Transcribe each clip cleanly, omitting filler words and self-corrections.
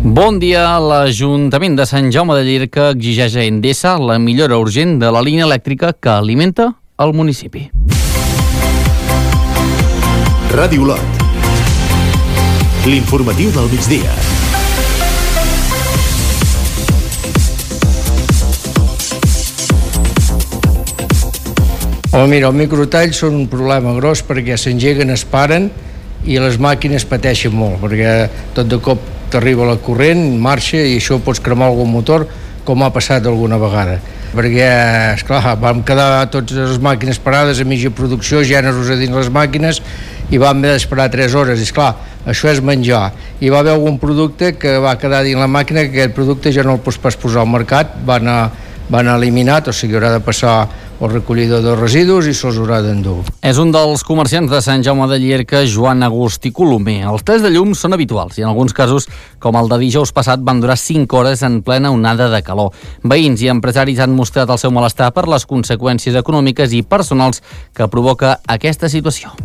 Bon dia. L'Ajuntament de Sant Jaume de Llierca exigeix a Endesa la millora urgent de la línia elèctrica que alimenta el municipi. Ràdio Olot. L'informatiu del migdia. Mira, els microtalls són un problema gros perquè s'engeguen, es paren i les màquines pateixen molt perquè tot de cop t'arriba la corrent, marxa i això pots cremar algun motor, com ha passat alguna vegada. Perquè, esclar, vam quedar totes les màquines parades a mitja producció, gèneres a dins les màquines, i vam haver d'esperar 3 hores. I esclar, això és menjar. I va haver algun producte que va quedar dins la màquina, que aquest producte ja no el pots pas posar al mercat, van eliminat, o sigui, haurà de passar el recollidor de residus i se'ls haurà d'endur. És un dels comerciants de Sant Jaume de Llierca, Joan Agustí Colomer. Els talls de llum són habituals i en alguns casos, com el de dijous passat, van durar 5 hores en plena onada de calor. Veïns i empresaris han mostrat el seu malestar per les conseqüències econòmiques i personals que provoca aquesta situació.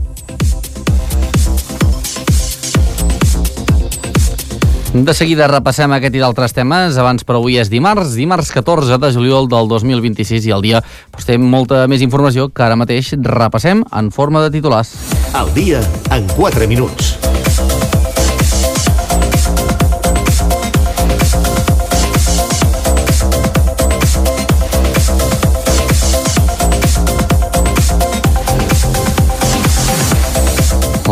De seguida repassem aquest i d'altres temes. Abans, però, avui és dimarts 14 de juliol del 2026 i el dia té molta més informació que ara mateix repassem en forma de titulars. El dia en 4 minuts.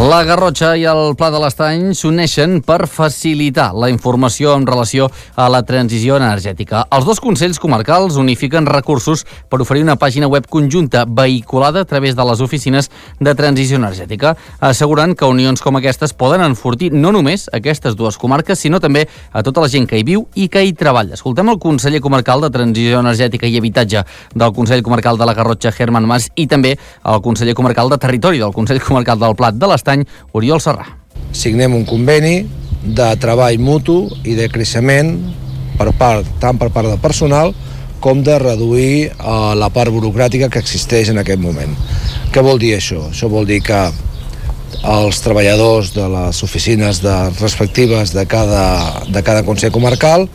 La Garrotxa i el Pla de l'Estany s'uneixen per facilitar la informació en relació a la transició energètica. Els dos consells comarcals unifiquen recursos per oferir una pàgina web conjunta vehiculada a través de les oficines de transició energètica, assegurant que unions com aquestes poden enfortir no només aquestes dues comarques, sinó també a tota la gent que hi viu i que hi treballa. Escoltem el conseller comarcal de Transició Energètica i Habitatge del Consell Comarcal de la Garrotxa, Herman Mas, i també el conseller comarcal de Territori del Consell Comarcal del Plat de l'Estany, Oriol Serrà. Signem un conveni de treball mutu i de creixement tant per part del personal com de reduir la part burocràtica que existeix en aquest moment. Què vol dir això? Això vol dir que els treballadors de les oficines respectives de cada consell comarcal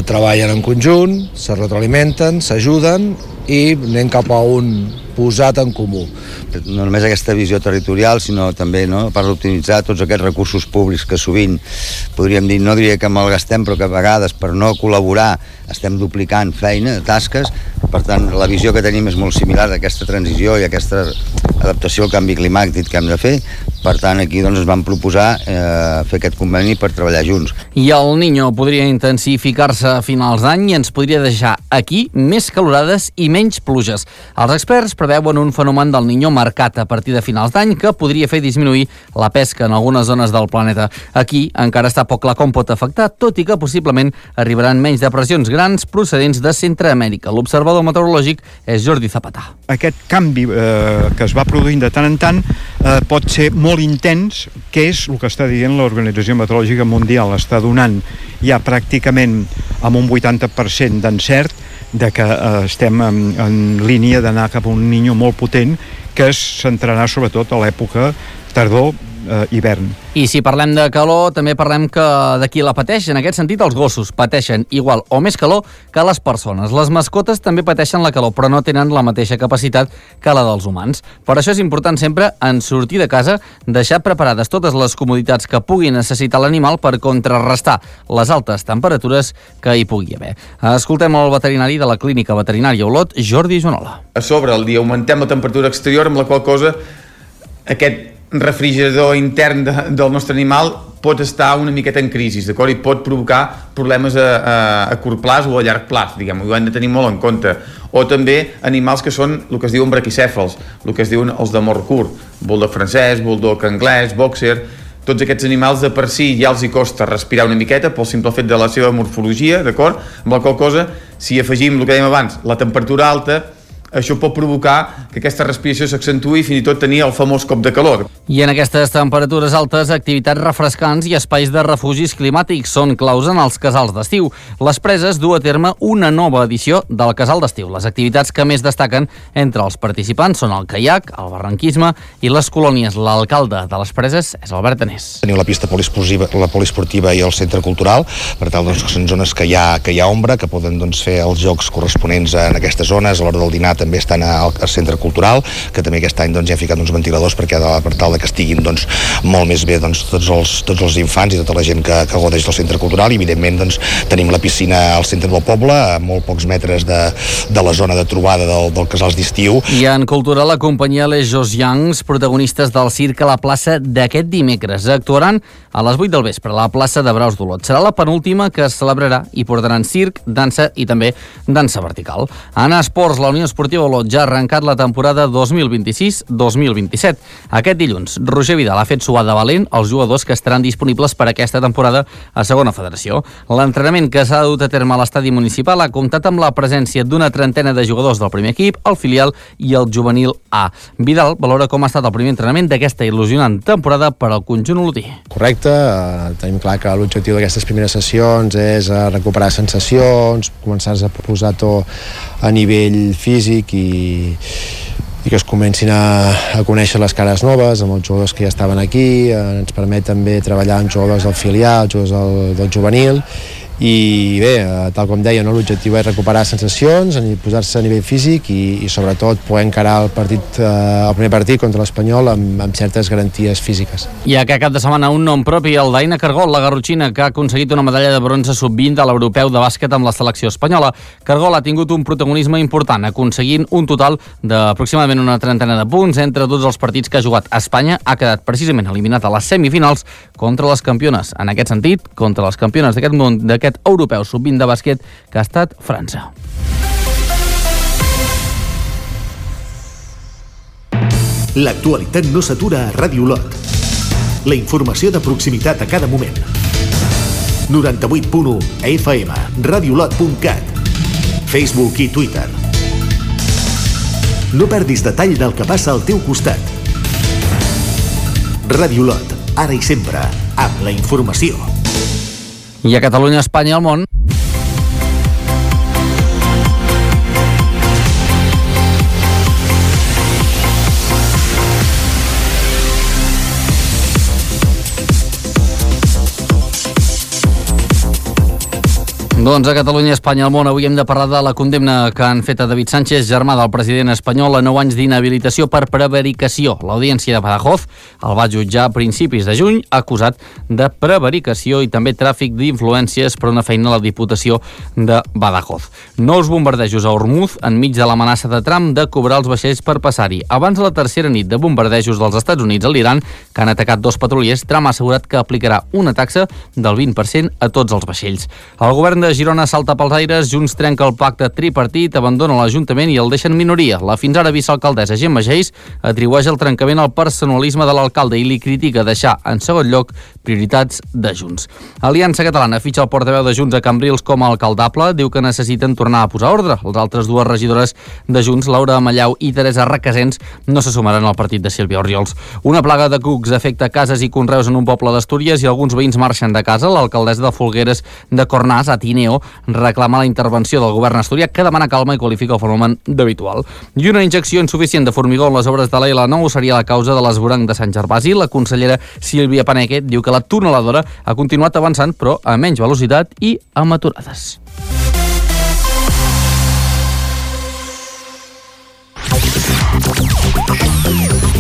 treballen en conjunt, se retroalimenten, s'ajuden i anem cap a un posat en comú. No només aquesta visió territorial, sinó també a part d'optimitzar tots aquests recursos públics que sovint, podríem dir, no diria que malgastem, però que a vegades per no col·laborar estem duplicant feina, tasques. Per tant, la visió que tenim és molt similar d'aquesta transició i aquesta adaptació al canvi climàtic que hem de fer. Per tant, aquí ens vam proposar fer aquest conveni per treballar junts. I el Niño podria intensificar-se a finals d'any i ens podria deixar aquí més calorades i menys pluges. Els experts preveuen un fenomen del Niño marcat a partir de finals d'any que podria fer disminuir la pesca en algunes zones del planeta. Aquí encara està poc clar com pot afectar, tot i que possiblement arribaran menys depressions grans procedents de Centreamèrica. L'observador meteorològic és Jordi Zapata. Aquest canvi que es va produint de tant en tant pot ser molt intens, que és el que està dient l'Organització Meteorològica Mundial. Està donant ja pràcticament amb un 80% d'encert de que estem en línia d'anar cap a un Niño molt potent que es centrarà sobretot a l'època tardor-hivern. I si parlem de calor, també parlem de qui la pateix. En aquest sentit, els gossos pateixen igual o més calor que les persones. Les mascotes també pateixen la calor, però no tenen la mateixa capacitat que la dels humans. Per això és important sempre, en sortir de casa, deixar preparades totes les comoditats que pugui necessitar l'animal per contrarrestar les altes temperatures que hi pugui haver. Escoltem el veterinari de la Clínica Veterinària Olot, Jordi Joanola. A sobre, al dia augmentem la temperatura exterior, amb la qual cosa aquest refrigerador intern del nostre animal pot estar una miqueta en crisi, d'acord? I pot provocar problemes a curt plaç o a llarg plaç, diguem, ho hem de tenir molt en compte. O també animals que són el que es diuen braquicèfals, el que es diuen els de mort curt, bulldog francès, bulldog anglès, boxer. Tots aquests animals de per si ja els hi costa respirar una miqueta pel simple fet de la seva morfologia, d'acord? Amb la qual cosa, si afegim el que dèiem abans, la temperatura alta, això pot provocar que aquesta respiració s'accentui i fins i tot tenir el famós cop de calor. I en aquestes temperatures altes, activitats refrescants i espais de refugis climàtics són claus en els casals d'estiu. Les Preses du a terme una nova edició del casal d'estiu. Les activitats que més destaquen entre els participants són el caiac, el barranquisme i les colònies. L'alcalde de les Preses és Albert Anés. Teniu la pista poliesportiva i el centre cultural, per tal que són zones que hi ha ombra, que poden fer els jocs corresponents en aquestes zones. A l'hora del dinar també estan al centre cultural, que també aquest any hi ha ficat uns ventiladors per tal que estiguin molt més bé tots els infants i tota la gent que gaudeix del centre cultural. I evidentment tenim la piscina al centre del poble, a molt pocs metres de la zona de trobada del casals d'estiu. I en cultura, la companyia Les Josians, protagonistes del circ a la plaça d'aquest dimecres, actuaran a les 8 del vespre a la plaça de Braus d'Olot. Serà la penúltima que es celebrarà i portaran circ, dansa i també dansa vertical. En esports, la Unió Esportiva Olot ja ha arrencat la temporada 2026-2027. Aquest dilluns, Roger Vidal ha fet suar de valent els jugadors que estaran disponibles per aquesta temporada a Segona Federació. L'entrenament que s'ha dut a terme a l'estadi municipal ha comptat amb la presència d'una trentena de jugadors del primer equip, el filial i el juvenil A. Vidal valora com ha estat el primer entrenament d'aquesta il·lusionant temporada per al conjunt olotí. Correcte, tenim clar que l'objectiu d'aquestes primeres sessions és recuperar sensacions, començar a posar to a nivell físic i que es comencin a conèixer les cares noves amb els jugadors que ja estaven aquí. Ens permet també treballar amb jugadors del filial, jugadors del juvenil, i bé, tal com deia, l'objectiu és recuperar sensacions, posar-se a nivell físic i sobretot poder encarar el primer partit contra l'Espanyol amb certes garanties físiques. I aquest cap de setmana un nom propi, el d'Aina Cargol, la garrotxina, que ha aconseguit una medalla de bronze sub-20 a l'europeu de bàsquet amb la selecció espanyola. Cargol ha tingut un protagonisme important, aconseguint un total d'aproximadament una trentena de punts entre tots els partits que ha jugat. Espanya ha quedat precisament eliminat a les semifinals contra les campiones. En aquest sentit, contra les campiones d'aquest món, d'aquest europeu sub-20 de bàsquet, que ha estat França. L'actualitat no s'atura a Ràdio Olot. La informació de proximitat a cada moment. 98.1 FM, radiolot.cat, Facebook i Twitter. No perdis detall del que passa al teu costat. Ràdio Olot, ara i sempre, amb la informació. I a Catalunya, Espanya i el món. Doncs a Catalunya, Espanya i el món avui hem de parlar de la condemna que han fet a David Sánchez, germà del president espanyol, a 9 anys d'inhabilitació per prevaricació. L'Audiència de Badajoz el va jutjar a principis de juny, acusat de prevaricació i també tràfic d'influències per una feina a la Diputació de Badajoz. Nous bombardejos a Hormuz enmig de l'amenaça de Trump de cobrar els vaixells per passar-hi. Abans de la tercera nit de bombardejos dels Estats Units a l'Iran, que han atacat 2 petroliers, Trump ha assegurat que aplicarà una taxa del 20% a tots els vaixells. El govern de Girona salta pels aires, Junts trenca el pacte tripartit, abandona l'Ajuntament i el deixa en minoria. La fins ara vicealcaldessa Gemma Geis atribueix el trencament al personalisme de l'alcalde i li critica deixar en segon lloc prioritats de Junts. Aliança Catalana fitxa el portaveu de Junts a Cambrils com a alcaldable, diu que necessiten tornar a posar ordre. Les altres 2 regidores de Junts, Laura Amallau i Teresa Requesens, no se sumaran al partit de Sílvia Orriols. Una plaga de cucs afecta cases i conreus en un poble d'Astúries i alguns veïns marxen de casa. L'alcaldessa de Folgueres de Cornàs, a Tineo, reclama la intervenció del govern asturià, que demana calma i qualifica el fenomen d'habitual. I una injecció insuficient de formigó en les obres de l'L9 seria la causa de l'esvoranc de Sant Gervasi. La consellera Sílvia Paneque diu que la tuneladora ha continuat avançant, però a menys velocitat i amb aturades.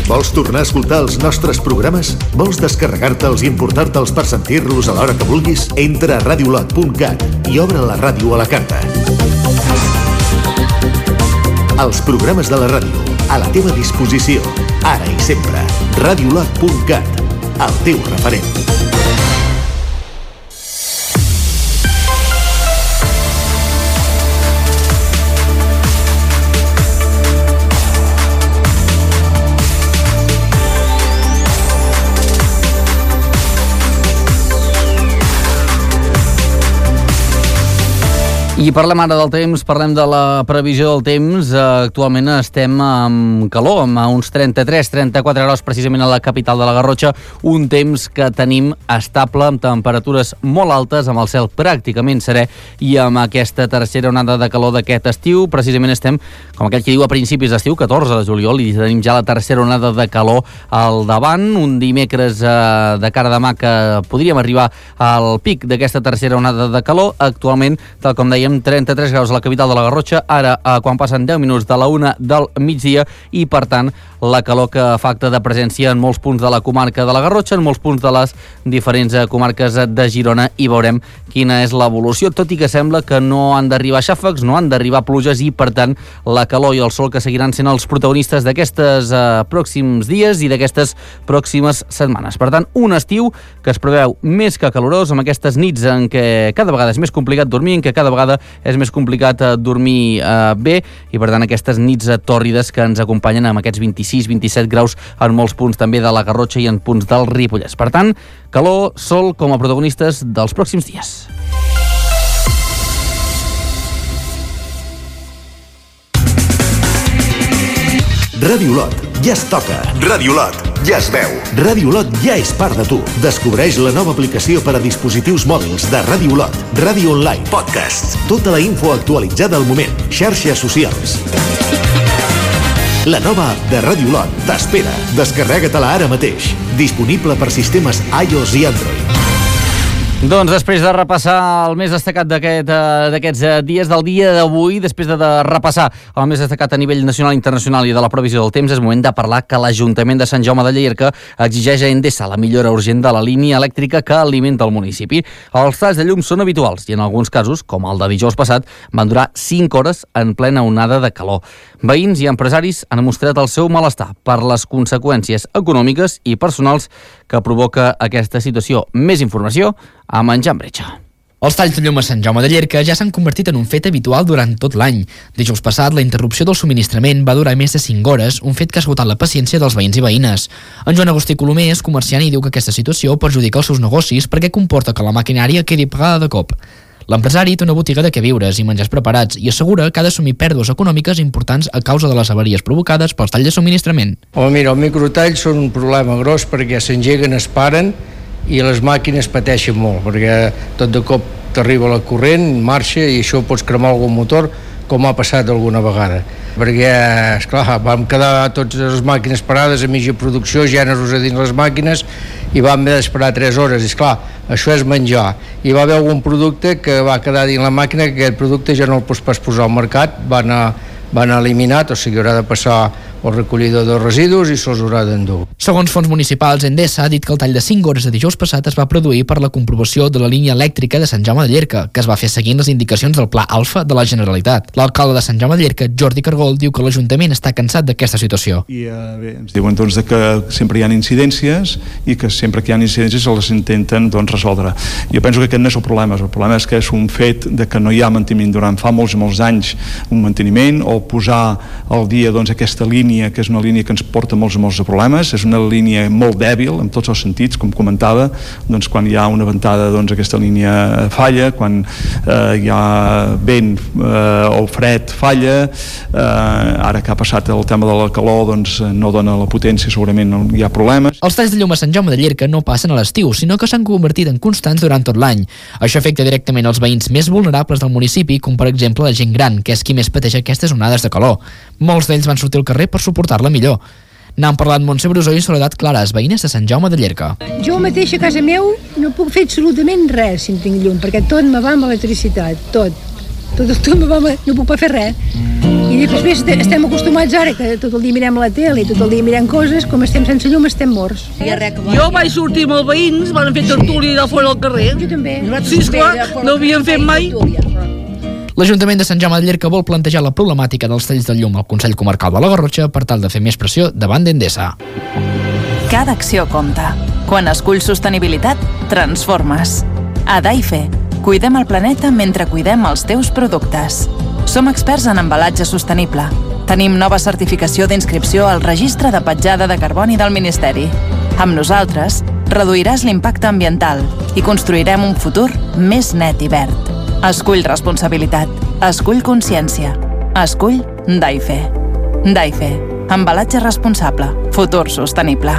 Vols tornar a escoltar els nostres programes? Vols descarregar-te'ls i emportar-te'ls per sentir-los a l'hora que vulguis? Entra a radiolot.cat i obre la ràdio a la carta. Els programes de la ràdio, a la teva disposició, ara i sempre. Radiolot.cat, el teu referent. I parlem ara del temps, parlem de la previsió del temps. Actualment estem amb calor, amb uns 33-34 graus precisament a la capital de la Garrotxa, un temps que tenim estable, amb temperatures molt altes, amb el cel pràcticament serè i amb aquesta tercera onada de calor d'aquest estiu. Precisament estem, com aquell que diu a principis d'estiu, 14 de juliol, i tenim ja la tercera onada de calor al davant. Un dimecres de cara demà que podríem arribar al pic d'aquesta tercera onada de calor. Actualment, tal com dèiem, 33 graus a la capital de la Garrotxa, ara quan passen 10 minuts de la 1 del migdia, i per tant la calor que fa acte de presència en molts punts de la comarca de la Garrotxa, en molts punts de les diferents comarques de Girona, i veurem quina és l'evolució, tot i que sembla que no han d'arribar xàfecs, no han d'arribar pluges, i per tant la calor i el sol que seguiran sent els protagonistes d'aquests pròxims dies i d'aquestes pròximes setmanes. Per tant, un estiu que es preveu més que calorós, amb aquestes nits en què cada vegada és més complicat dormir, en què cada vegada és més complicat dormir bé, i per tant aquestes nits tòrrides que ens acompanyen amb aquests 26-27 graus en molts punts també de la Garrotxa i en punts del Ripollès. Per tant, calor, sol com a protagonistes dels pròxims dies. Ràdio Lot, ja es toca. Ràdio Lot, ja es veu. Ràdio Lot ja és part de tu. Descobreix la nova aplicació per a dispositius mòbils de Ràdio Lot. Ràdio online, podcasts, tota la info actualitzada al moment, xarxes socials. La nova app de Ràdio Lot t'espera. Descarrega-te-la ara mateix. Disponible per sistemes iOS i Android. Doncs després de repassar el més destacat d'aquests dies, del dia d'avui, després de repassar el més destacat a nivell nacional, internacional i de la previsió del temps, és moment de parlar que l'Ajuntament de Sant Jaume de Llierca exigeix a Endesa la millora urgent de la línia elèctrica que alimenta el municipi. Els talls de llum són habituals i en alguns casos, com el de dijous passat, van durar 5 hores en plena onada de calor. Veïns i empresaris han mostrat el seu malestar per les conseqüències econòmiques i personals que provoca aquesta situació. Més informació a Menjar amb Bretxa. Els talls de llum a Sant Jaume de Llierca ja s'han convertit en un fet habitual durant tot l'any. Dijous passat, la interrupció del subministrament va durar més de 5 hores, un fet que ha esgotat la paciència dels veïns i veïnes. En Joan Agustí Colomer és comerciant i diu que aquesta situació perjudica els seus negocis perquè comporta que la maquinària quedi pagada de cop. L'empresari té una botiga de queviures i menjars preparats i assegura que ha d'assumir pèrdues econòmiques importants a causa de les avaries provocades pels talls de subministrament. Mira, els microtalls són un problema gros perquè s'engeguen, es paren i les màquines pateixen molt, perquè tot de cop t'arriba la corrent, marxa i això pots cremar algun motor, com ha passat alguna vegada. Perquè, esclar, vam quedar totes les màquines parades a mitja producció, gèneres a dins les màquines, i vam haver d'esperar 3 hores. I esclar, això és menjar. I va haver algun producte que va quedar dins la màquina, que aquest producte ja no el pots pas posar al mercat, van eliminat, o sigui, haurà de passar el recollidor de residus i se'ls haurà d'endur. Segons fons municipals, Endesa ha dit que el tall de 5 hores de dijous passat es va produir per la comprovació de la línia elèctrica de Sant Jaume de Llierca, que es va fer seguint les indicacions del Pla Alfa de la Generalitat. L'alcalde de Sant Jaume de Llierca, Jordi Cargol, diu que l'Ajuntament està cansat d'aquesta situació. I bé, ens diuen doncs, que sempre hi ha incidències i que sempre que hi ha incidències les intenten resoldre. Jo penso que aquest no és el problema és que és un fet de que no hi ha manteniment durant fa molts anys, un manteniment o posar al dia aquesta línia, que és una línia que ens porta molts problemes, és una línia molt dèbil en tots els sentits, com comentava, quan hi ha una ventada aquesta línia falla, quan hi ha vent o fred falla, ara que ha passat el tema de la calor no dona la potència, segurament hi ha problemes. Els talls de llum a Sant Jaume de Llierca no passen a l'estiu, sinó que s'han convertit en constants durant tot l'any. Això afecta directament els veïns més vulnerables del municipi, com per exemple la gent gran, que és qui més pateix aquestes onades de calor. Molts d'ells van sortir al carrer per suportar-la millor. N'han parlat Montse Brusó i Soledat Clares, veïnes de Sant Jaume de Llierca. Jo mateixa a casa meu no puc fer absolutament res si no tinc llum, perquè tot me va amb electricitat, tot me va, no puc fer res. I després estem acostumats ara que tot el dia mirem la tele i tot el dia mirem coses, com estem sense llum estem morts. Jo vaig sortir amb els veïns, van fer tertúlia de fora al carrer. Jo també. Sí, esclar, no havíem fet mai. L'Ajuntament de Sant Jaume de Llierca vol plantejar la problemàtica dels talls de llum al Consell Comarcal de la Garrotxa per tal de fer més pressió davant d'Endesa. Cada acció compta. Quan esculls sostenibilitat, transformes. A Daife, cuidem el planeta mentre cuidem els teus productes. Som experts en embalatge sostenible. Tenim nova certificació d'inscripció al Registre de Petjada de Carboni del Ministeri. Amb nosaltres, reduiràs l'impacte ambiental i construirem un futur més net i verd. Escull responsabilitat. Escull consciència. Escull Daife. Daife. Embalatge responsable. Futur sostenible.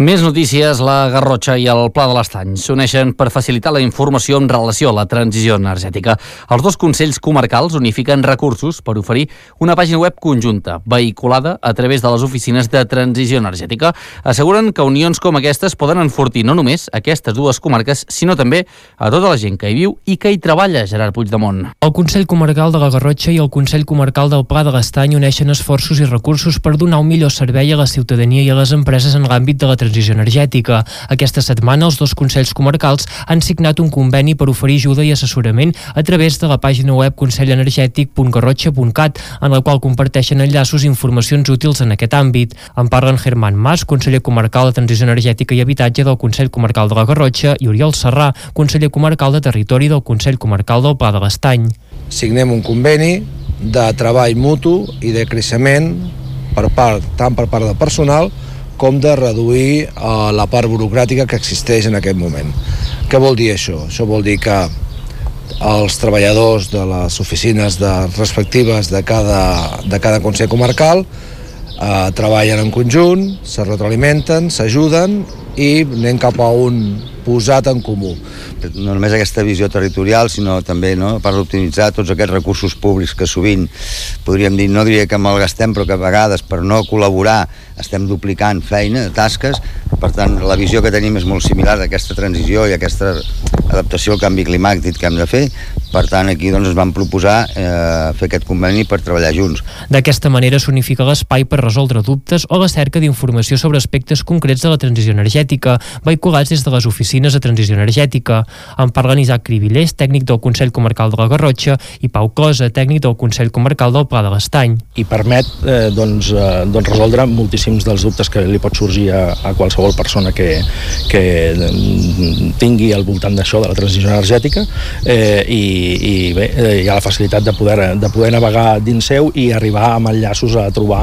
Més notícies. La Garrotxa i el Pla de l'Estany s'uneixen per facilitar la informació en relació a la transició energètica. Els dos consells comarcals unifiquen recursos per oferir una pàgina web conjunta, vehiculada a través de les oficines de transició energètica. Asseguren que unions com aquestes poden enfortir no només aquestes dues comarques, sinó també a tota la gent que hi viu i que hi treballa. Gerard Puigdemont. El Consell Comarcal de la Garrotxa i el Consell Comarcal del Pla de l'Estany uneixen esforços i recursos per donar un millor servei a la ciutadania i a les empreses en l'àmbit de la transició energètica. Aquesta setmana els dos consells comarcals han signat un conveni per oferir ajuda i assessorament a través de la pàgina web consellenergètic.garrotxa.cat, en la qual comparteixen enllaços i informacions útils en aquest àmbit. En parlen Germán Mas, conseller comarcal de Transició Energètica i Habitatge del Consell Comarcal de la Garrotxa, i Oriol Serrà, conseller comarcal de Territori del Consell Comarcal del Pla de l'Estany. Signem un conveni de treball mutu i de creixement tant per part del personal com de reduir la part burocràtica que existeix en aquest moment. Què vol dir això? Això vol dir que els treballadors de les oficines respectives de cada Consell Comarcal treballen en conjunt, se retroalimenten, s'ajuden i anem cap a un posat en comú. No només aquesta visió territorial, sinó també per optimitzar tots aquests recursos públics que sovint, podríem dir, no diria que malgastem, però que a vegades per no col·laborar estem duplicant feina, tasques. Per tant, la visió que tenim és molt similar d'aquesta transició i aquesta adaptació al canvi climàtic que hem de fer. Per tant, aquí ens vam proposar fer aquest conveni per treballar junts. D'aquesta manera s'unifica l'espai per resoldre dubtes o la cerca d'informació sobre aspectes concrets de la transició energètica, vehiculats des de les oficines de transició energètica. En parlen Isaac Cribillers, tècnic del Consell Comarcal de la Garrotxa, i Pau Closa, tècnic del Consell Comarcal del Pla de l'Estany. I permet resoldre moltíssims dels dubtes que li pot sorgir a qualsevol persona que tingui al voltant d'això, de la transició energètica, i bé, hi ha la facilitat de poder navegar dins seu i arribar amb enllaços a trobar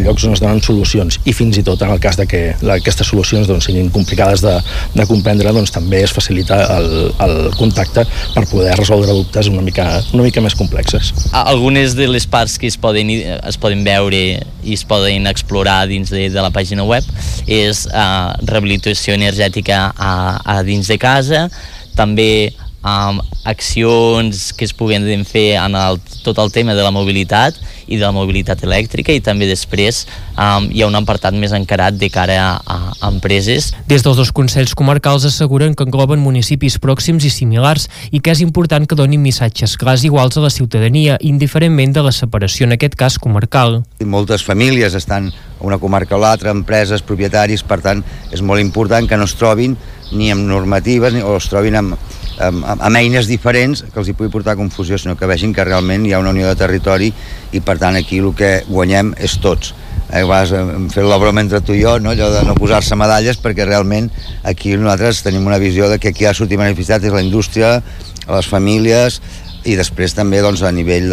llocs on es donen solucions, i fins i tot en el cas de que aquestes solucions siguin complicades de comprendre, també es facilita el contacte per poder resoldre dubtes una mica més complexes. Algunes de les parts que es poden veure i es poden explorar dins de la pàgina web és rehabilitació energètica a dins de casa, també accions que es puguen fer en tot el tema de la mobilitat i de la mobilitat elèctrica, i també després hi ha un apartat més encarat de cara a empreses. Des dels dos consells comarcals asseguren que engloben municipis pròxims i similars i que és important que donin missatges clars iguals a la ciutadania, indiferentment de la separació, en aquest cas comarcal. Moltes famílies estan a una comarca o l'altra, empreses, propietaris, per tant és molt important que no es trobin ni amb normatives o es trobin amb eines diferents que els hi pugui portar confusió, sinó que vegin que realment hi ha una unió de territori i per tant aquí el que guanyem és tots. Hem fet la broma entre tu i jo, allò de no posar-se medalles, perquè realment aquí nosaltres tenim una visió de que aquí ha sortit beneficiat és la indústria, les famílies, i després també a nivell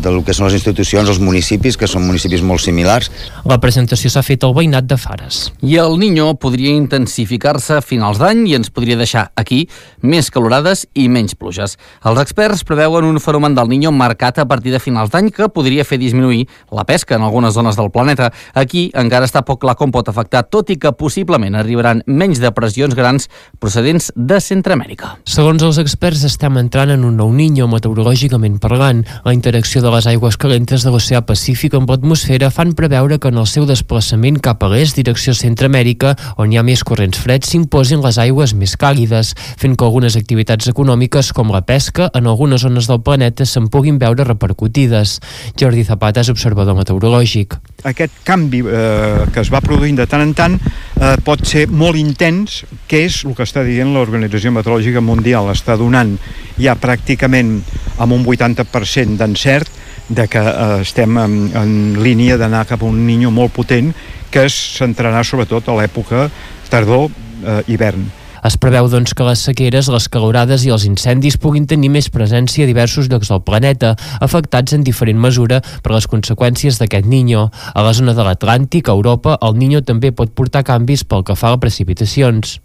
del que són les institucions, els municipis, que són municipis molt similars. La presentació s'ha fet al veïnat de Fares. I el Niño podria intensificar-se a finals d'any i ens podria deixar aquí més calorades i menys pluges. Els experts preveuen un fenomen del Niño marcat a partir de finals d'any que podria fer disminuir la pesca en algunes zones del planeta. Aquí encara està poc clar com pot afectar, tot i que possiblement arribaran menys depressions grans procedents de Centreamèrica. Segons els experts, estem entrant en un nou Niño. Meteorològicament parlant, la interacció de les aigües calentes de l'oceà Pacífic amb l'atmosfera fan preveure que en el seu desplaçament cap a l'est, direcció Centreamèrica, on hi ha més corrents freds, s'imposin les aigües més càlides, fent que algunes activitats econòmiques com la pesca en algunes zones del planeta se'n puguin veure repercutides. Jordi Zapata és observador meteorològic. Aquest canvi que es va produint de tant en tant pot ser molt intens, que és el que està dient l'Organització Meteorològica Mundial. Està donant ja pràcticament amb un 80% d'encert de que estem en línia d'anar cap a un Niño molt potent que es centrarà sobretot a l'època tardor-hivern. Es preveu, doncs, que les sequeres, les calorades i els incendis puguin tenir més presència a diversos llocs del planeta, afectats en diferent mesura per les conseqüències d'aquest Niño. A la zona de l'Atlàntic, a Europa, el Niño també pot portar canvis pel que fa a precipitacions.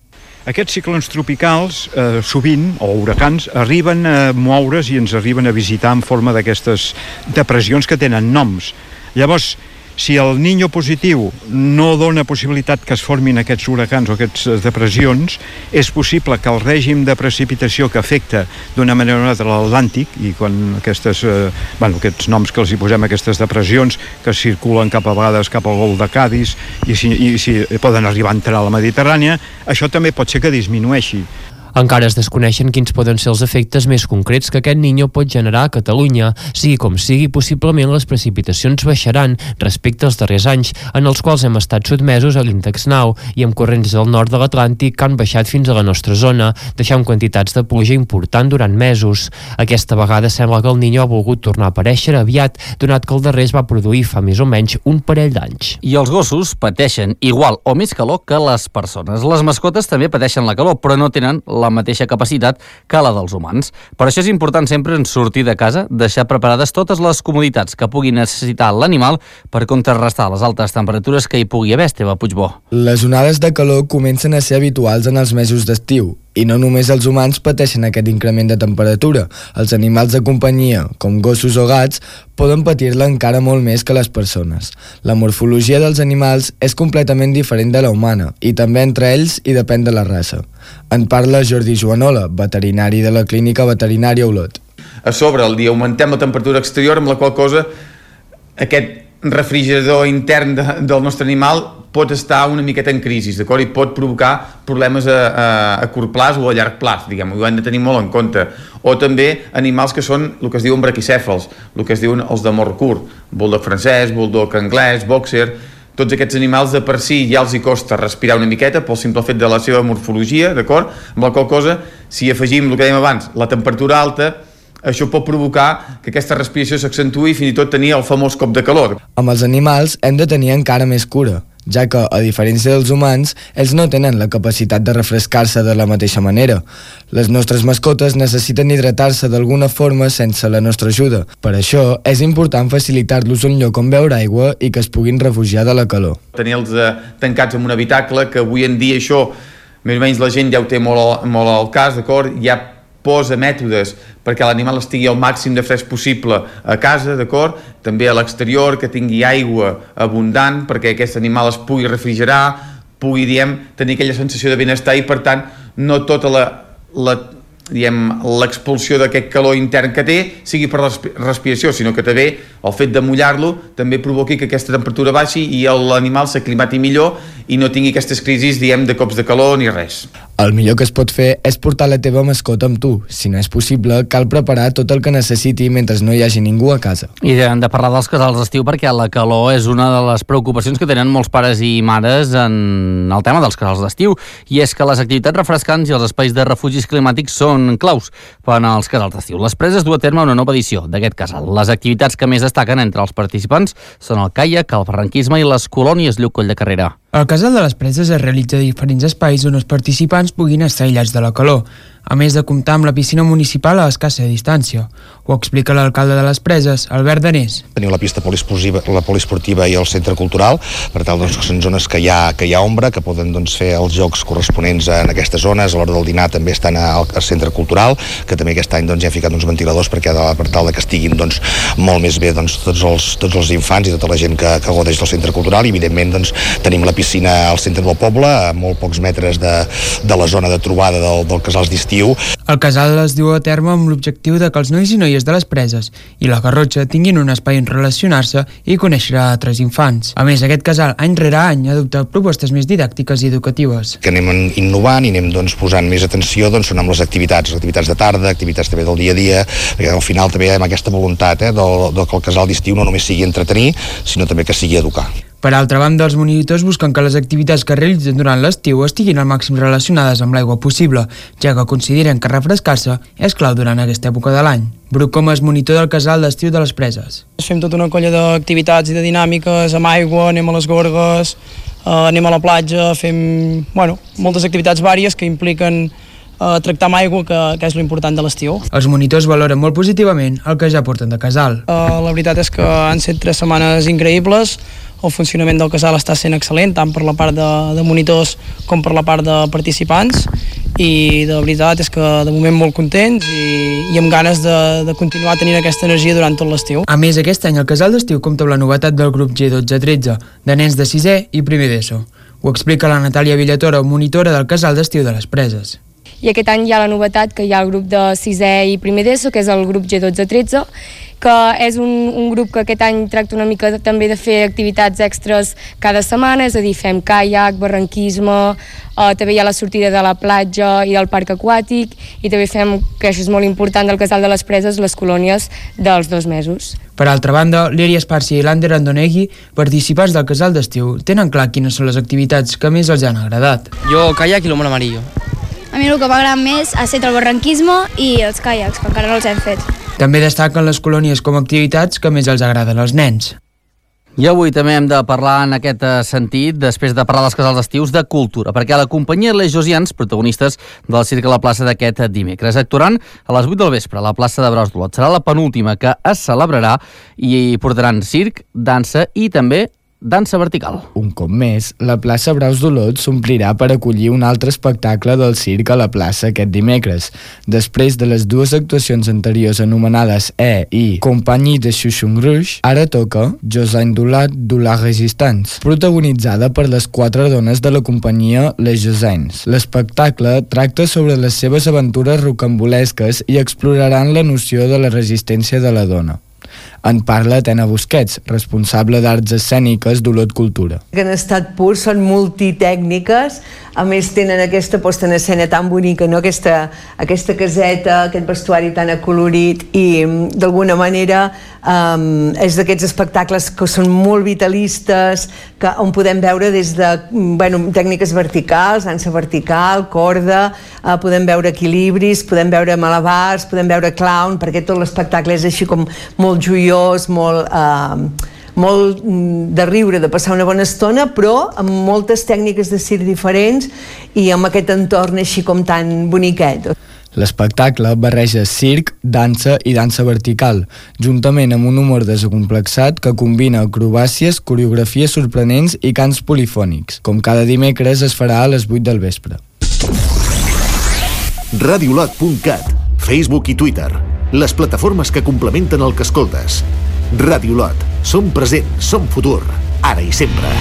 Aquests ciclons tropicals, sovint, o huracans, arriben a moure's i ens arriben a visitar en forma d'aquestes depressions que tenen noms. Llavors, si el Niño positiu no dona possibilitat que es formin aquests huracans o aquestes depressions, és possible que el règim de precipitació que afecta d'una manera o una altra l'Atlàntic, i quan aquests noms que els hi posem, aquestes depressions que circulen cap a vegades cap al golf de Cadis i si poden arribar a entrar a la Mediterrània, això també pot ser que disminueixi. Encara es desconeixen quins poden ser els efectes més concrets que aquest Niño pot generar a Catalunya. Sigui com sigui, possiblement les precipitacions baixaran respecte als darrers anys, en els quals hem estat sotmesos a l'índex NAU i amb corrents del nord de l'Atlàntic que han baixat fins a la nostra zona, deixant quantitats de pluja important durant mesos. Aquesta vegada sembla que el Niño ha volgut tornar a aparèixer aviat, donat que el darrer es va produir fa més o menys un parell d'anys. I els gossos pateixen igual o més calor que les persones. Les mascotes també pateixen la calor, però no tenen la mateixa capacitat que la dels humans. Per això és important sempre en sortir de casa deixar preparades totes les comoditats que pugui necessitar l'animal per contrarrestar les altes temperatures que hi pugui haver, Esteve Puigbó. Les onades de calor comencen a ser habituals en els mesos d'estiu. I no només els humans pateixen aquest increment de temperatura. Els animals de companyia, com gossos o gats, poden patir-la encara molt més que les persones. La morfologia dels animals és completament diferent de la humana, i també entre ells hi depèn de la raça. En parla Jordi Joanola, veterinari de la Clínica Veterinària Olot. A sobre, el dia augmentem la temperatura exterior, amb la qual cosa aquest refrigerador intern del nostre animal pot estar una miqueta en crisi, d'acord? I pot provocar problemes a curt plaç o a llarg plaç, diguem, ho hem de tenir molt en compte. O també animals que són el que es diuen braquicèfals, el que es diuen els de mort curt, bulldog francès, bulldog anglès, boxer. Tots aquests animals de per si ja els hi costa respirar una miqueta pel simple fet de la seva morfologia, d'acord? Amb la qual cosa, si afegim el que dèiem abans, la temperatura alta, això pot provocar que aquesta respiració s'accentui i fins i tot tenir el famós cop de calor. Amb els animals hem de tenir encara més cura, ja que, a diferència dels humans, ells no tenen la capacitat de refrescar-se de la mateixa manera. Les nostres mascotes necessiten hidratar-se d'alguna forma sense la nostra ajuda. Per això, és important facilitar-los un lloc on beure aigua i que es puguin refugiar de la calor. Tenir-los tancats en un habitacle, que avui en dia això, més o menys la gent ja ho té molt al cas, d'acord? Ja posa mètodes perquè l'animal estigui al màxim de fresc possible a casa, d'acord? També a l'exterior, que tingui aigua abundant perquè aquest animal es pugui refrigerar, pugui, tenir aquella sensació de benestar i, per tant, no tota l'expulsió d'aquest calor intern que té sigui per la respiració, sinó que també el fet de mullar-lo també provoqui que aquesta temperatura baixi i l'animal s'aclimati millor i no tingui aquestes crisis, de cops de calor ni res. El millor que es pot fer és portar la teva mascota amb tu. Si no és possible, cal preparar tot el que necessiti mentre no hi hagi ningú a casa. I hem de parlar dels casals d'estiu perquè la calor és una de les preocupacions que tenen molts pares i mares en el tema dels casals d'estiu, i és que les activitats refrescants i els espais de refugis climàtics són claus per als casals d'estiu. Les Preses du a terme una nova edició d'aquest casal. Les activitats que més destaquen entre els participants són el caiac, el barranquisme i les colònies Lluc Coll de Carrera. El Casal de les Preses es realitza a diferents espais on els participants puguin estar aïllats de la calor, a més de comptar amb la piscina municipal a escassa distància. Ho explica l'alcalde de les Preses, Albert Danés. Tenim la pista poliesportiva i el centre cultural, per tal que són zones que hi ha ombra, que poden fer els jocs corresponents en aquestes zones. A l'hora del dinar també estan al centre cultural, que també aquest any ja hem ficat uns ventiladors per tal que estiguin molt més bé tots els infants i tota la gent que gaudeix del centre cultural, i evidentment tenim la piscina al centre del poble, a molt pocs metres de la zona de trobada del casals d'estiu. El casal es diu a terme amb l'objectiu de que els nois i noies de les Preses i la Garrotxa tinguin un espai on relacionar-se i conèixer altres infants. A més, aquest casal any rere any adopta propostes més didàctiques i educatives. Que anem innovant i anem posant més atenció són amb les activitats de tarda, activitats també del dia a dia, perquè al final també hi ha aquesta voluntat que el casal d'estiu no només sigui entretenir, sinó també que sigui educar. Per altra banda, els monitors busquen que les activitats que realitzen durant l'estiu estiguin al màxim relacionades amb l'aigua possible, ja que consideren que refrescar-se és clau durant aquesta època de l'any. Bruc Comas, monitor del casal d'estiu de les Preses. Fem tota una colla d'activitats i de dinàmiques amb aigua, anem a les gorgues, anem a la platja, fem moltes activitats vàries que impliquen tractar amb aigua, que és l'important de l'estiu. Els monitors valoren molt positivament el que ja porten de casal. La veritat és que han set 3 setmanes increïbles, el funcionament del casal està sent excel·lent, tant per la part de monitors com per la part de participants, i de veritat és que de moment molt contents i amb ganes de continuar tenint aquesta energia durant tot l'estiu. A més, aquest any el casal d'estiu compta amb la novetat del grup G12-13, de nens de 6è i primer d'ESO. Ho explica la Natàlia Villatora, monitora del casal d'estiu de les Preses. I aquest any hi ha la novetat que hi ha el grup de 6è i primer d'ESO, que és el grup G12-13, que és un grup que aquest any tracta una mica també de fer activitats extres cada setmana, és a dir, fem caiac, barranquisme, també hi ha la sortida de la platja i del parc aquàtic, i també fem, que això és molt important del casal de les Preses, les colònies dels 2 mesos. Per altra banda, l'Eri Esparcia i l'Ander Andonegui, participants del casal d'estiu, tenen clar quines són les activitats que més els han agradat. Jo, caiac i l'home amarillo. A mi el que m'agrada més ha estat el barranquisme i els caiacs, que encara no els hem fet. També destaquen les colònies com a activitats que més els agraden als nens. I avui també hem de parlar en aquest sentit, després de parlar dels casals d'estius, de cultura, perquè la companyia Les Josians, protagonistes del circ a la plaça d'aquest dimecres, actuaran a les 8 del vespre a la plaça de Braus d'Olot. Serà la penúltima que es celebrarà i portaran circ, dansa i també dansa vertical. Un cop més, la plaça Braus d'Olot s'omplirà per acollir un altre espectacle del circ a la plaça aquest dimecres. Després de les 2 actuacions anteriors anomenades i Compagnie de Chouchon Rouge, ara toca Josine Dulat de la Resistance, protagonitzada per les 4 dones de la companyia Les Josines. L'espectacle tracta sobre les seves aventures rocambolesques i exploraran la noció de la resistència de la dona. En parla Tena Busquets, responsable d'Arts Escèniques d'Olot Cultura. Que en estat pur són multitècniques, a més tenen aquesta posta en escena tan bonica, no? aquesta caseta, aquest vestuari tan acolorit, i d'alguna manera és d'aquests espectacles que són molt vitalistes, on podem veure des de tècniques verticals, dansa vertical, corda, podem veure equilibris, podem veure malabars, podem veure clown, perquè tot l'espectacle és així com molt joiós, molt de riure, de passar una bona estona, però amb moltes tècniques de circ diferents i amb aquest entorn així com tan boniquet. L'espectacle barreja circ, dansa i dansa vertical, juntament amb un humor desacomplexat que combina acrobàcies, coreografies sorprenents i cants polifònics. Com cada dimecres es farà a les 8 del vespre. Radiolot.cat, Facebook i Twitter, les plataformes que complementen el que escoltes. Radiolot, som present, som futur, ara i sempre.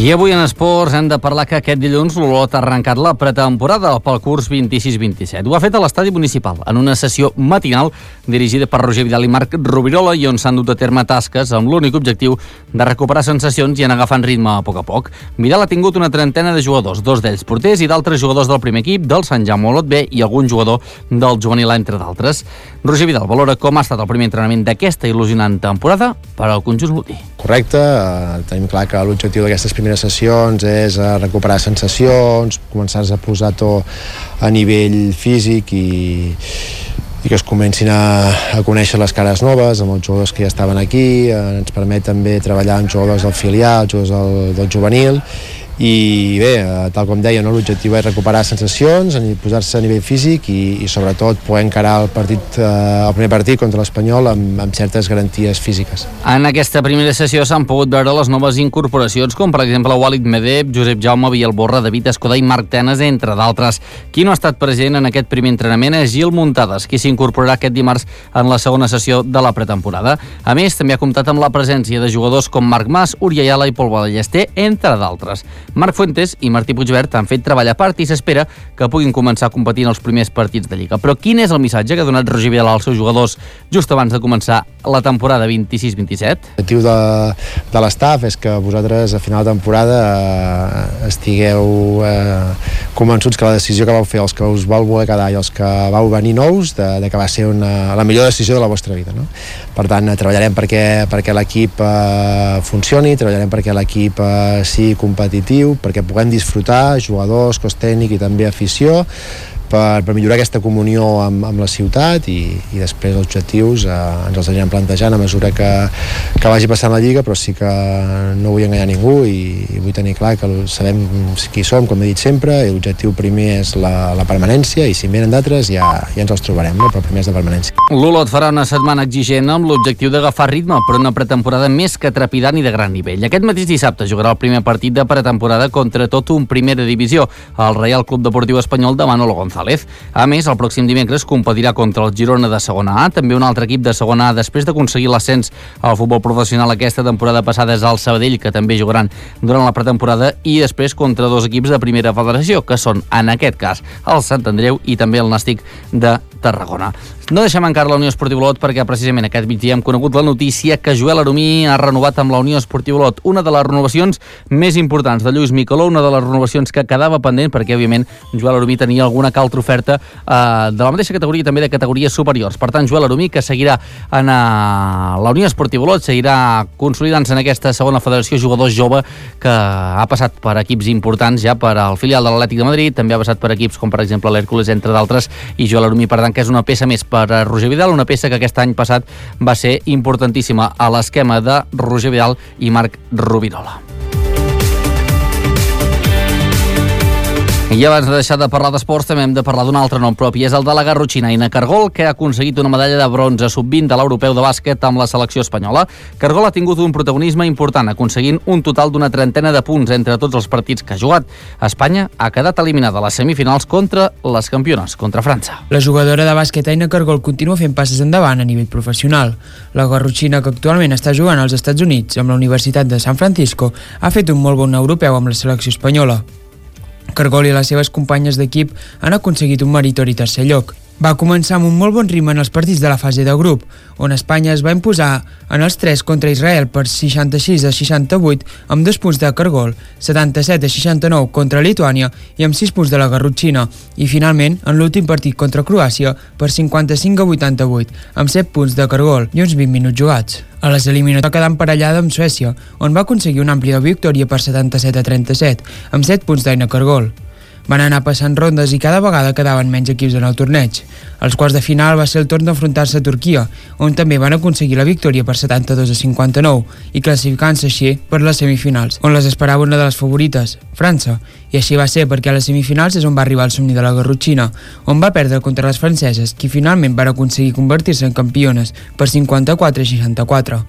I avui en esports hem de parlar que aquest dilluns l'Olot ha arrencat la pretemporada pel curs 26-27. Ho ha fet a l'estadi municipal, en una sessió matinal dirigida per Roger Vidal i Marc Rovirola, i on s'han dut a terme tasques amb l'únic objectiu de recuperar sensacions i anar agafant ritme a poc a poc. Vidal ha tingut una trentena de jugadors, 2 d'ells porters i d'altres jugadors del primer equip, del Sant Jaume Olot B i algun jugador del juvenil, entre d'altres. Roger Vidal valora com ha estat el primer entrenament d'aquesta il·lusionant temporada per al conjunt olotí. Correcte, tenim clar que l'objectiu d'aquestes primeres sessions és recuperar sensacions, començar a posar tot a nivell físic i que es comencin a conèixer les cares noves amb els jugadors que ja estaven aquí. Ens permet també treballar amb jugadors del filial, jugadors del juvenil, i bé, tal com deia, l'objectiu és recuperar sensacions, posar-se a nivell físic i sobretot poder encarar el primer partit contra l'Espanyol amb certes garanties físiques. En aquesta primera sessió s'han pogut veure les noves incorporacions, com per exemple Walid Medeb, Josep Jaume Vialborra, David Escudà i Marc Tenes, entre d'altres. Qui no ha estat present en aquest primer entrenament és Gil Muntades, qui s'incorporarà aquest dimarts en la segona sessió de la pretemporada. A més, també ha comptat amb la presència de jugadors com Marc Mas, Uri Ayala i Pol Ballester, entre d'altres. Marc Fuentes i Martí Puigvert han fet treball a part i s'espera que puguin començar a competir en els primers partits de Lliga. Però quin és el missatge que ha donat Roger Vidal als seus jugadors just abans de començar la temporada 26-27? L'objectiu de l'estaf és que vosaltres a final de temporada estigueu convençuts que la decisió que vau fer, els que us vau voler quedar i els que vau venir nous, de que va ser la millor decisió de la vostra vida, no? Per tant, treballarem perquè l'equip funcioni, treballarem perquè l'equip sigui competitiu, perquè puguem disfrutar, jugadors, cos tècnic i també afició, per millorar aquesta comunió amb la ciutat i després els objectius ens els anirem plantejant a mesura que vagi passant la Lliga, però sí que no vull enganyar ningú i vull tenir clar que sabem qui som, com he dit sempre, i l'objectiu primer és la permanència i si en venen d'altres ja ens els trobarem, no? Però primer és de permanència. L'Olot farà una setmana exigent amb l'objectiu d'agafar ritme per una pretemporada més que trepidant i de gran nivell. Aquest mateix dissabte jugarà el primer partit de pretemporada contra tot un primera divisió, el Reial Club Deportiu Espanyol de Manolo González. A més, el pròxim dimecres competirà contra el Girona de segona A, també un altre equip de segona A després d'aconseguir l'ascens al futbol professional aquesta temporada passada és el Sabadell, que també jugaran durant la pretemporada, i després contra dos equips de primera federació, que són, en aquest cas, el Sant Andreu i també el Nàstic de Tarragona. No deixem encara la Unió Esportiva Olot perquè precisament aquest migdia hem conegut la notícia que Joel Aromí ha renovat amb la Unió Esportiva Olot, una de les renovacions més importants de Lluís Micheló, una de les renovacions que quedava pendent perquè, òbviament, Joel Aromí tenia alguna altra oferta de la mateixa categoria i també de categories superiors. Per tant, Joel Aromí, que seguirà en la Unió Esportiva Olot, seguirà consolidant-se en aquesta segona federació, jugador jove que ha passat per equips importants ja per al filial de l'Atlètic de Madrid, també ha passat per equips com, per exemple, l'Hèrcules, entre d'altres, i Joel Aromí, per tant, que és una peça més per a Roger Vidal, una peça que aquest any passat va ser importantíssima a l'esquema de Roger Vidal i Marc Rubirola. I abans de deixar de parlar d'esports també hem de parlar d'un altre nom propi, és el de la garrotxina Aina Cargol, que ha aconseguit una medalla de bronze sub-20 de l'Europeu de bàsquet amb la selecció espanyola. Cargol ha tingut un protagonisme important, aconseguint un total d'una trentena de punts entre tots els partits que ha jugat. Espanya ha quedat eliminada a les semifinals contra les campiones, contra França. La jugadora de bàsquet Aina Cargol continua fent passes endavant a nivell professional. La garrotxina, que actualment està jugant als Estats Units amb la Universitat de San Francisco, ha fet un molt bon europeu amb la selecció espanyola. Cargol i les seves companyes d'equip han aconseguit un meritori tercer lloc. Va començar amb un molt bon ritme en els partits de la fase de grup, on Espanya es va imposar en els 3 contra Israel per 66-68 amb 2 punts de Cargol, 77-69 contra Lituània i amb 6 punts de la garrotxina, i finalment en l'últim partit contra Croàcia per 55-88 amb 7 punts de Cargol i uns 20 minuts jugats. A les eliminatòries va quedar emparellada amb Suècia, on va aconseguir una àmplia victòria per 77-37 amb 7 punts d'Aina Cargol. Van anar passant rondes i cada vegada quedaven menys equips en el torneig. Als quarts de final va ser el torn d'enfrontar-se a Turquia, on també van aconseguir la victòria per 72-59 i classificant-se així per les semifinals, on les esperava una de les favorites, França. I així va ser, perquè a les semifinals és on va arribar el somni de la garrotxina, on va perdre contra les franceses, qui finalment van aconseguir convertir-se en campiones per 54-64.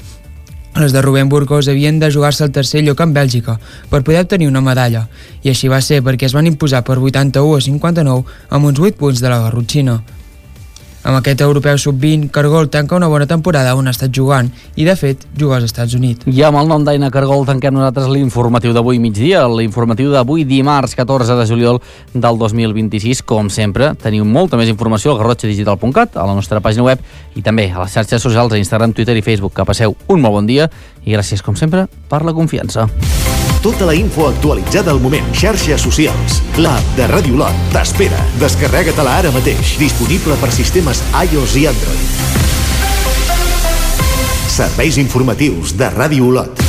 Les de Rubén Burgos havien de jugar-se el tercer lloc en Bèlgica per poder obtenir una medalla, i així va ser perquè es van imposar per 81-59 amb uns 8 punts de la garrotxina. Amb aquest europeu sub-20, Cargol tanca una bona temporada on ha estat jugant i, de fet, juga als Estats Units. I amb el nom d'Aina Cargol tanquem nosaltres l'informatiu d'avui migdia, l'informatiu d'avui dimarts 14 de juliol del 2026. Com sempre, teniu molta més informació al garrotxadigital.cat, a la nostra pàgina web i també a les xarxes socials, a Instagram, Twitter i Facebook. Que passeu un molt bon dia i gràcies, com sempre, per la confiança. Tota la info actualitzada al moment. Xarxes socials. L'app de Ràdio Olot t'espera. Descarrega-te-la ara mateix. Disponible per sistemes iOS i Android. Serveis informatius de Ràdio Olot.